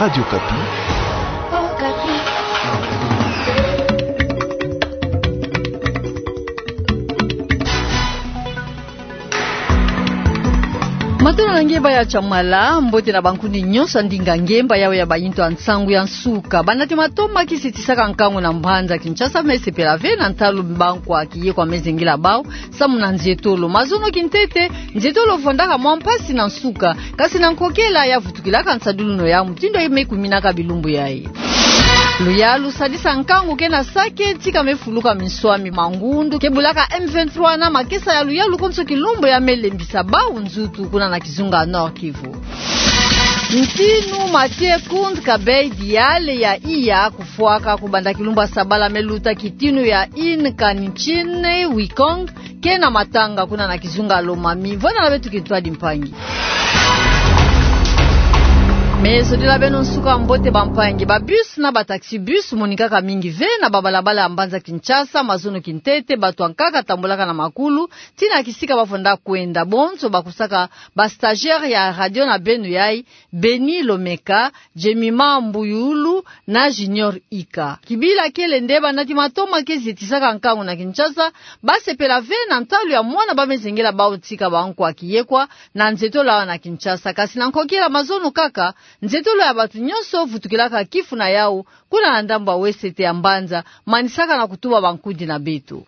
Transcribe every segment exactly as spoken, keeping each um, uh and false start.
Radio Kapi. Matondo na nge baya Chamala, mbote na bankundi nyonso ya ndinga ngemba yawe ya bayintu ya nsangu ya nsuka. Bana ti matoma kisetisaka nkangu na mbanza Kinshasa me sepela ve na ntalu bankwa kiye kwa me zengela bau, samu na nzietolo. Mazono kintete, nzietolo vwandaka mwa mpasi na nsuka, kasi na nkokela ya vutukilaka nsadulu no ya mutindu ya me kuminaka bilumbu yayi. Luyalu sadisa nkangu ke na Sake, tika me fuluka minswami ma ngundu ke bulaka M vingt-trois na makesa ya luyalu konso kilumbu ya me lembisa bau nzutu kuna na kizunga Nord-Kivu. Ntinu Mathieu Kund Kabay Diale ya iya kufwaka kubanda kilumbu ya sabala me luta kitinu ya Inca Ntshine Wukong ke na matanga kuna na kizunga Lomami. Vwanda na beto kintwadi mpangi. Me sodila beno nsuka mbote bampangi. Ba bus na ba taxi bus monikaka mingi ve na babalabala ya mbanza Kinshasa, mazono kintete, bato ya nkaka tambulaka na makulu tii na kisika bavwanda kwenda. Bonso bakusaka ba stagiaire ya radio na beno yayi, Beni Lomeka, Jemima Mbuyulu na Junior Ika. Kibila kele nde bana ti matoma ke zietisaka nkangu na Kinshasa, basepela ve na ntalu ya mwana ba me zengela bau tika bankwa kiye kwa na nzietolo awa na Kinshasa. Kasi na nkokila mazono kaka, nzietolo ya bato nyonso vutukilaka kifu na yau, kuna na ndambu ya wesete ya mbanza, manisaka na kutuba bankundi na beto.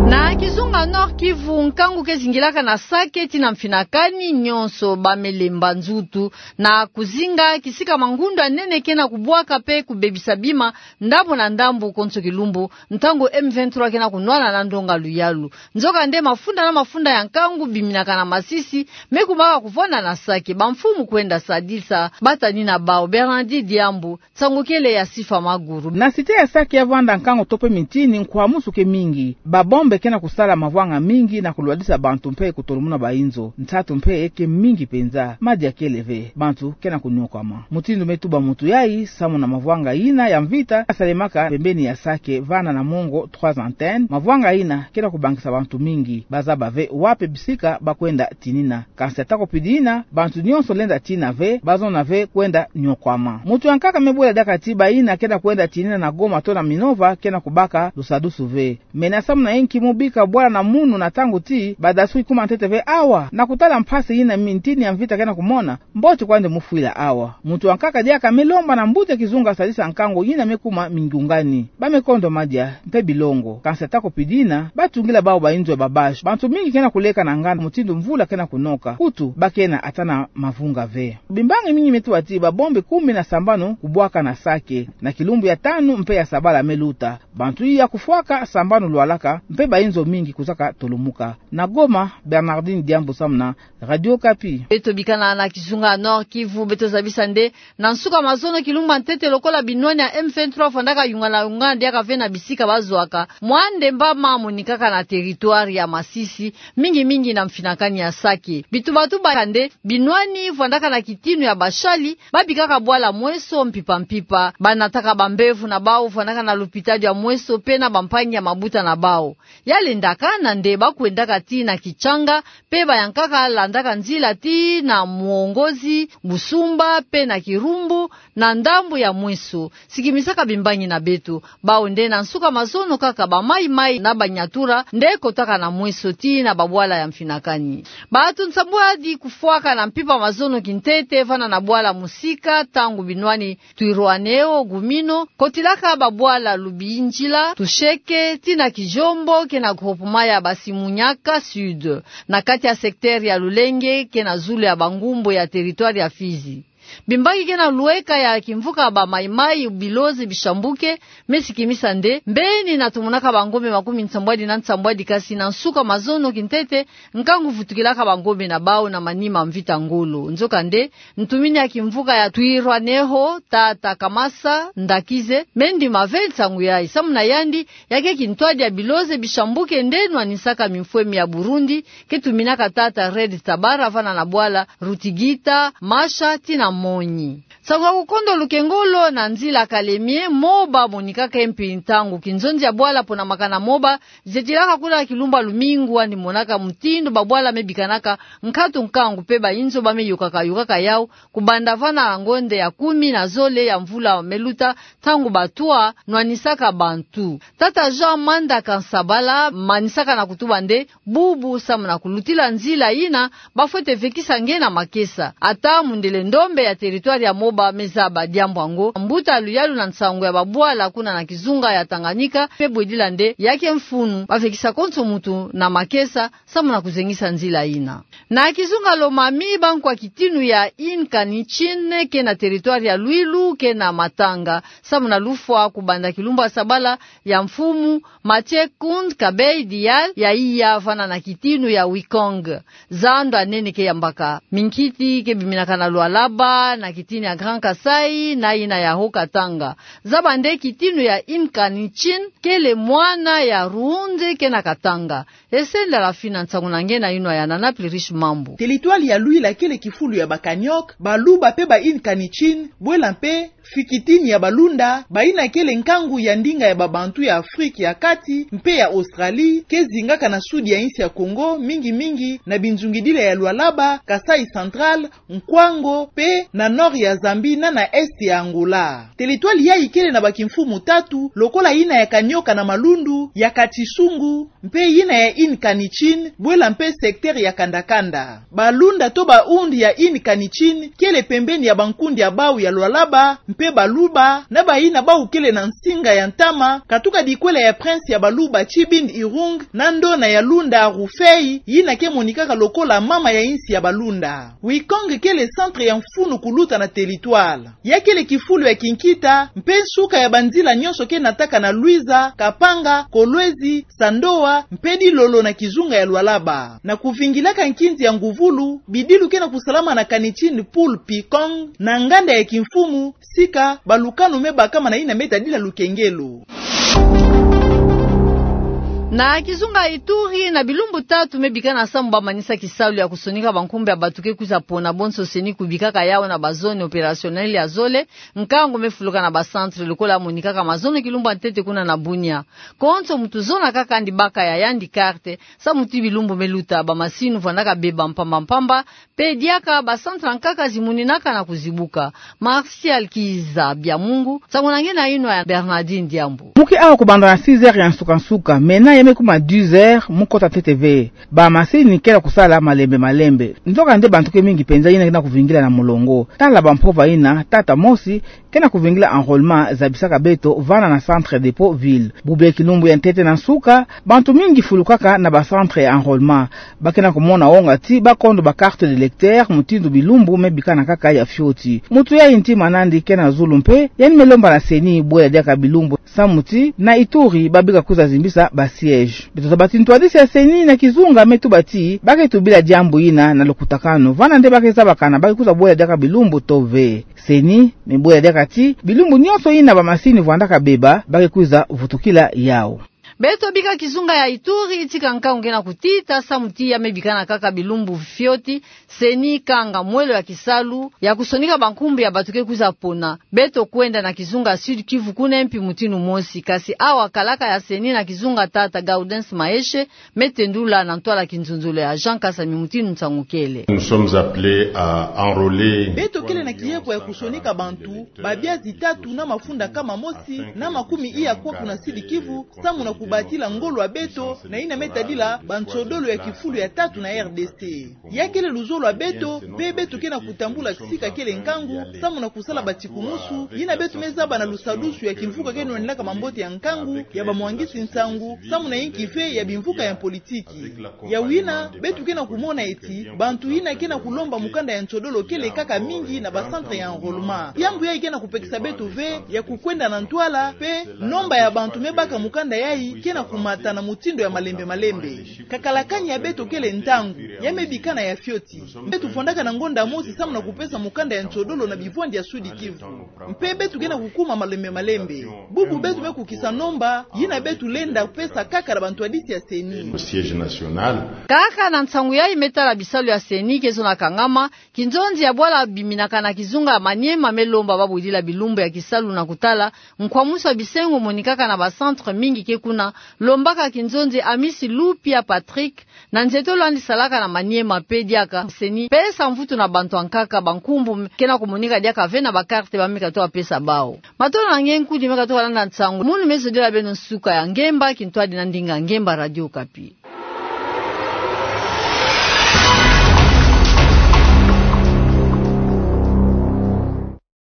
Na kizunga Nord-Kivu, nkangu ke zingilaka na Sake tii na Mfinakani, nyonso ba me lemba nzutu na kuzinga kisika mangundu ya nene ke na kubwaka pe kubebisa bima ndambu na ndambu konso kilumbu, ntangu M vingt-trois ke na kunwana na ndonga luyalu. Nzokande mafunda na mafunda ya nkangu biminaka na masisi me kumaka kuvwanda na Sake. Bamfumu kwenda sadisa batanina bau. Bernardi Diambu, nsangu kele ya Sifa Maguru. Na cité ya Sake ya vwanda nkangu to pe mitini, nkwamusu ke mingi. Ba bombe ke na kusala mavwanga mingi na kulwadisa bantu mpe kutolomuna bainzo. Nsatu mpe ke mingi mpenza. Madia kele ve. Bantu ke na kuniokwama. Mutindu me tuba mutu yayi, samu na mavwanga yina ya mvita yasalemaka pembeni ya Sake vana na Mongo Trois Antennes, mavwanga yina ke na kubangisa bantu mingi. Bazaba ve wapi bisika ba kwenda tinina. Kansi atako pidi yina, bantu nyonso lenda tina ve, bazona ve kwenda niokwama. Mutu ya nkaka me bwela diaka ti bayina ke na kwenda tinina na Goma to na Minova ke na kubaka lusadusu ve. Mena samu na inki mu bika bwala na munu na ntangu ti badaswi kuma ntete ve awa, na kutala mpasi yina mitini ya mvita ke na kumona? Mbote kwandi mu fwila awa. Mutu ya nkaka diaka me lomba na mbuta kizunga sadisa nkangu yina me kuma mingiungani. Ba me kondo madia mpe bilongo. Kansi atako pidi yina, batungila bau bainzo ya ba bâche. Bantu mingi ke na kuleka na nganda mutindu mvula ke na kunoka. Kutu, ba ke na ata na mavunga ve. Bimbangi mingi me tuba ti ba bombe kumi na sambanu kubwaka na Sake na kilumbu ya tanu mpe ya sabala me luta. Bantu iya kufwaka, sambanu lwalaka, mpe bainzo mingi kuzaka tolumuka. Na Goma, Bernardine Diambu samu na Radio Okapi. Beto bikana na kizunga Nord-Kivu, beto zabisa nde na nsuka mazono kilumbu ya ntete lokola binwani ya M vingt-trois vwandaka yungana yungana diaka ve na bisika bazwaka, mwa ndemba mamonikaka na territoire ya Masisi, mingi mingi na Mfinakani ya Sake. Bitubatuba kaka nde binwani vwandaka na kitinu ya bashali, babikaka bwala mweso mpimpa mpimpa, banataka bambevo na bau vwandaka na lupitalu ya mweso mpe na bampangi ya mabuta na bau. Ya lendaka nde ba kwendaka tii na Kitshanga, mpe bayankaka landaka nzila tii na Mwongozi, Busumba, mpe na Kirumbu, na ndambu ya mweso. Sikimisaka bimbangi na beto. Bau nde na nsuka mazono kaka ba Mai Mai na Banyatura nde kotaka na mweso tii na babwala ya Mfinakani. Bantu nsambwadi kufwaka na mpimpa mazono kintete vana na bwala Musika, ntangu binwani Twirwaneho, Gumino, kotilaka babwala Lubinjila, Tusheke, tii na Kijombo, ke na groupement ya Basimunyaka Sud, na kati ya secteur ya Lulenge, ke na zulu ya Bangumbo ya territoire ya Fizi. Bimbangi ke na lweka ya kimvuka ba Mai Mai, Biloze, Bishambuke, me sikimisa nde, mbeni na tomonaka bangombe makumi nsambwadi na nsambwadi, kasi na nsuka mazono kintete, nkangu vutukilaka bangombe na bau na manima mvita ngolo. Nzokande, ntumini ya kimvuka ya Twirwaneho, tata Kamasa Ndakize, me ndima ve nsangu yayi. Samu na yandi, ya ke kintwadi ya Biloze, Bishambuke nde nwanisaka mimfwemi ya Burundi, ke tuminaka tata Red Tabara vana na bwala Rutigita, Masha, tii na Monyi. Nsangu ya kukondo lukengolo na nzila kalemie, moba monikaka mpe ntangu kinzonzi ya bwala ponamaka na moba, zetilaka kuna kilumbu ya lumingu, andi monaka mutindu babwala me bikanaka nkatu nkangu mpe bayinzo ba me yokaka yokaka yau, kubanda vana ngonde ya kumi na zole ya mvula me luta, ntangu batwa nwanisaka bantu. Tata Jean Manda Kansabala manisaka na kutuba nde, bubu samu na kulutila nzila yina, bafwete vekisa nge na makesa. Ata mundele ndombe ya territoire ya moba me zaba diambu yango, mbuta luyalu na nsangu ya babwala kuna na kizunga ya Tanganyika me bwedila nde, ya ke mfunu bavekisa konso muntu na makesa, samu na kuzengisa nzila yina. Na kizunga Lomami, bankwa kitinu ya Inca Nichin ke na territoire ya Luilu ke na matanga, samu na lufwa kubanda kilumbu ya sabala ya mfumu Mathieu Kound Kabay Dial ya iya vana na kitinu ya Wikong. Zando ya nene ke yambaka. Minkiti ke biminaka na Lualaba, na kitinu ya Grand Kasaï, na yina ya Haut-Katanga. Zaba nde kitinu ya Inca Nichin kele mwana ya Yaoundé ke na Katanga. Ese Ndala Fina, nsangu na nge na yinwa ya Nana Plurish Mambu. Territoire ya Luila kele kifulu ya ba Kaniok, Baluba mpe ba Inca Nichin, bwela mpe fikitini ya Balunda, bayina kele nkangu ya ndinga ya babantu ya Afrique ya kati mpe ya Australie, ke zingaka na sud ya insi ya Congo, mingi mingi na binzungidila ya Lualaba, Kasaï Central, Kwango, mpe na nord ya Zambie na na est ya Angola. Territoire yayi kele na bakimfumu tatu, lokola yina ya Kanioka na Malundu, ya Katisungu, mpe yina ya Inca Nichin, bwela mpe secteur ya Kandakanda. Balunda to ba Hound ya Inca Nichin kele pembeni ya bankundi ya bau ya Lualaba, mpe Baluba, na bayina bau kele na nsinga ya ntama, katuka dikwela ya prince ya Baluba Tshibin Irung, na ndona ya Lunda Rufei, yina ke monikaka lokola mama ya insi ya Balunda. Wikong kele centre ya mfunu kuluta na territoire. Ya kele kifulu ya kinkita, mpe nsuka ya banzila nyonso ke nataka na Luiza, Kapanga, Kolwezi, Sandoa, mpe Dilolo na kizunga ya Lualaba. Na kuvingilaka nkinzi ya nguvulu, bidilu ke na kusalama na Kanichin Pool Pikong, na nganda ya kimfumu, sika balukanu me bakama na yina me tadila lukengelo. Na kizunga Ituri, na bilumbu tatu me bika na sambu bamanisa kisalu ya kusonika bankumbu ya bato ke kwiza pona, bonso CENI kubikaka yau na ba zone opérationnelle ya zole, nkangu me fuluka na ba centre lokola monikaka mazono kilumbu ya ntete kuna na Bunia. Konso muntu zona kaka andi baka ya yandi carte, samu ti bilumbu me luta bamasini vwandaka beba mpamba mpamba, mpe diaka ba centre nkaka zimoninaka na kuzibuka. Martial Kiza Biamungu, nsangu na nge na yinwa ya Bernardine Diambu. Muke awa kubanda na six heures ya nsuka nsuka, mena ya me kuma dix heures, mukota ntete ve. Bamasini ke na kusala malembe malembe. Nzokande bantu ke mingi penza yina ke na kuvingila na molongo. Tala bampova yina, tata mosi, ke na kuvingila enrôlement zabisaka beto vana na centre dépôt ville. Bubu ya kilumbu ya ntete na nsuka, bantu mingi fulukaka na ba centre ya enrôlement. Ba ke na kumona wonga ti ba kondo ba carte d'électeur, mutindu bilumbu me bikana kaka ya fioti. Muntu ya ntima nandi ke na zulu mpe, yandi me lomba na CENI bwela diaka bilumbu, samu ti na Ituri ba bika kwiza zimbisa ba siège. Beto zaba ti ntwadisi ya CENI na kizunga me tuba ti, ba ke tubila diambu yina na lukutakanu. Vana nde ba ke zabakana ba ke kwiza bwela diaka bilumbu to ve. CENI me bwela diaka ti, bilumbu nyonso yina bamasini vwandaka beba, ba ke kwiza vutukila yau. Beto bika kizunga ya Ituri, tika nkangu ke na kutita, samu ti ya me bikana kaka bilumbu fioti, CENI kanga mwelo ya kisalu ya kusonika bankumbu ya bato ke kwiza pona. Beto kwenda na kizunga Sud-Kivu, kuna mpi mutindu mosi, kasi awa kalaka ya CENI na kizunga, tata Gaudens Maeshe me tendula na ntwala kinzonzolo ya Jean Kasami mutindu nsangu kele. Nous sommes appelés à enrôler. Beto kele na kieko ya kusonika bantu, babia zitatu na mafunda nkama mosi na makumi iya kwaku na Sud-Kivu, samu na kubatila ngolo ya beto na yina me tadila bansodolo ya kifulu ya tatu na R D C. Ya kele luzolo ya beto, mpe beto ke na kutambula kisika kele nkangu, samu na kusala batikumusu yina beto me zaba na lusadusu ya kimvuka ke nwanilaka mambote ya nkangu ya bamwangisi nsangu, samu na yinki ve ya bimvuka ya politiki. Ya wina, beto ke na kumona ti bantu yina ke na kulomba mukanda ya nsodolo kele kaka mingi na ba centre ya enrôlement. Diambu yayi ke na kupekisa beto ve ya kukwenda na ntwala, mpe nomba ya bantu me baka mukanda yayi ke na kumata na mutindu ya malembe malembe. Kakalakani ya beto kele ntangu ya me bikana ya fioti. Beto vwandaka na ngonda mosi samu na kupesa mukanda ya nsodolo na bivwandi ya Sud-Kivu. Mpe beto ke na kukuma malembe malembe. Bubu beto me kukisa nomba yina beto lenda pesa kaka na bantwadisi ya CENI. Au siège national. Kaka na nsangu yayi me tala bisalu ya CENI ke zona kangama, kinzonzi ya bwala biminaka na Kizunga ya Maniema me lomba babudila bilumbu ya kisalu na kutala nkwamusu ya bisengo monikaka na ba centre mingi ke kuna, lombaka kinzonzi Amisi Lupia Patrick, na nzietolo yandi salaka na Maniema pe diaka, CENI, pesa mvutu na bantu ya nkaka, bankumbu ke na kumonika diaka ve na ba carte ba me katoka pesa bau. Matolo na nge nkudi me katoka landa nsangu, munu me zodila beno nsuka ya ngemba, kintwadi na ndinga ngemba Radio Okapi.